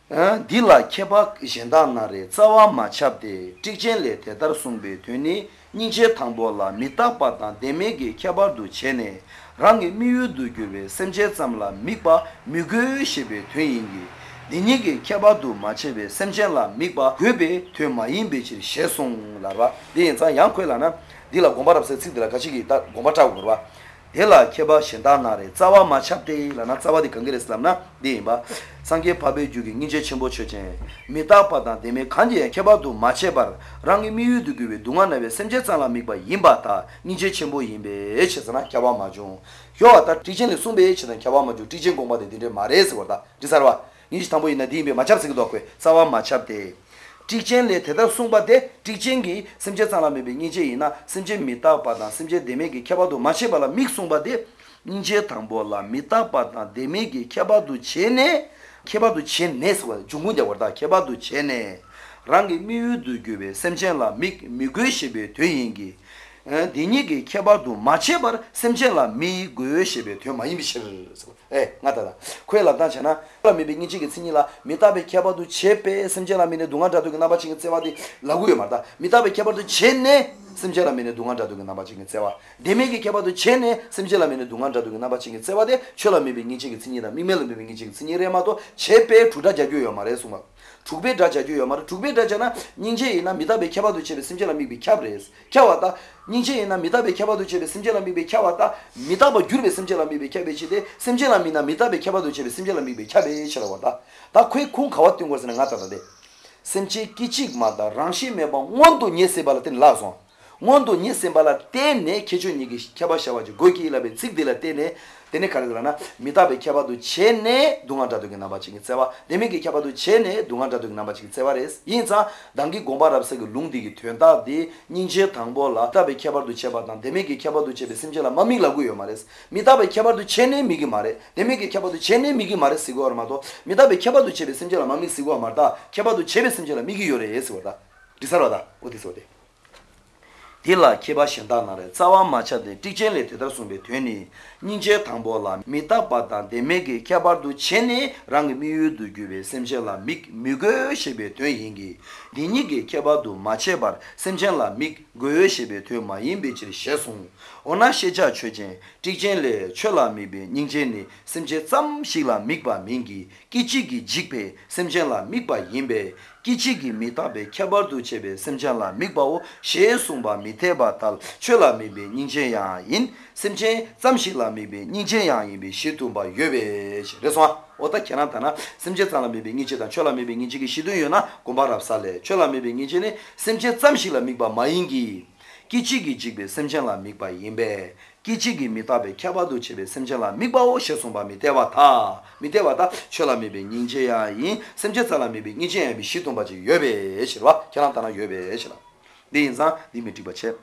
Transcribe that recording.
Dila kebak jendanare zawa machapde tikjenle tedar sungbe tuni ninje tangbola mitapatan demege kebardu chene rangi miyudu gyube semje zamla mikba mygö shebe tuyingi dinige kebadu machebe semjenla mikba gyube tuymayinbe chiri shesung larwa din zan yankwe na dila gombarapse tsikdila kachigi ta gombatagu urwa Hela keba shendanare zawa machapde lana zawa di kangereslam na dimba 상계 밥에 주기 인제 첨보 처제 미타파다 데메 간제 케바도 마체바 랑이 미유도 그베 동안에 셈제살라 미바 임바타 인제 첨보 임베 에체잖아 캬바 마죠 요아다 티젠레 숨베 에체는 캬바 마죠 티젠 공바데 디데 마레스 거다 디사르와 인지 담보 있나 디메 마찹스기도 하고 사와 마찹데 티젠레 대다 숨바데 티젠기 셈제살라 미베 인제 이나 셈제 미타파다 셈제 데메기 캬바도 마체발라 믹숨바데 인제 담보라 미타파다 데메기 캬바도 체네 케바도 첸네스와 중군데 워다 케바도 첸네 랑기 미유도 교베 셈첸라 미그시베 되인기 디니게 케바도 마체바 셈첸라 미그시베 되 많이 미셔서 나다다 코엘라 단잖아 미빙이지게 신이라 미타베 케바도 체페 셈첸라 미네 동안자도 나바칭게 세와디 라구요 말다 미타베 케바도 첸네 셈젤라 미네 동안자도 나바칭게 세와 데메게 케바도 첸네 셈젤라 미네 동안자도 나바칭게 세와데 촐라 미빙이지게 신이라 미멜 미빙이지게 신이레마도 체페 두다자교요 말에서마 두배 다자교요 말 두배 다잖아 닌제이나 미타베 케바도 체베 셈젤라 미비 캬브레스 캬와다 닌제이나 미타베 케바도 체베 셈젤라 미비 캬와다 미타바 귤베 셈젤라 미비 캬베치데 셈젤라 미나 미타베 케바도 체베 셈젤라 미비 캬베치라와다 다 코이 콩 가왔던 것은 나타나데 셈치 키치마다 랑시 메바 원도 녜세발텐 라소 원도 녜세발라 테네 케주니기 캬바샤와지 고이키라베 직딜라 테네 테네 카르드라나 미타베 캬바도 체네 동안자도게 나바치기 세와 데메게 캬바도 체네 동안자도게 나바치기 세와레스 인자 당기 곰바랍세게 룽디기 튀엔다디 닌제 당볼라 타베 캬바도 체바단 데메게 캬바도 체베 심젤라 마미라고요 마레스 미타베 캬바도 체네 미기 마레 데메게 캬바도 체네 미기 마레 시고 아마도 미타베 캬바도 체베 심젤라 마미 시고 아마다 캬바도 체베 심젤라 미기 요레 예스고다 리사로다 어디서데 딜라 케바신다나레 자와 마차데 티젠레 테다숨베 되니 닌제 당보라 미타바단 데메게 캬바르도 체네 랑 미유도 규베 셈젤라 믹 미거 셰베 되인기 디니게 캬바도 마체바 셈젤라 믹 고요 셰베 되 마임베치 셰송 오나 셰자 최제 티젠레 촐라미베 닌제니 셈제 짬시라 믹바 민기 끼치기 직베 셈젤라 믹바 임베 끼치기 미타베 캬바르도 체베 셈젤라 믹바오 셰송바 미테바탈 촐라미베 닌제야인 셈제 짬시라미베 닌제야인베 시tum바 예베 그래서 오다 캐나타나 셈제 짬라미베 닌제단 촐라미베 닌지기 시도요나 곰바랍살레 촐라미베 닌제네 셈제 짬시라미바 마인기 끼치기 직베 셈젤라 믹바 임베 끼치기 미타베 캬바도 체베 셈젤라 믹바오 셰송바 미테바타 촐라미베 닌제야인 셈제 짬라미베 닌제야비 시tum바지 예베 시와 캐나타나 예베 시라 네 인자 디미티바체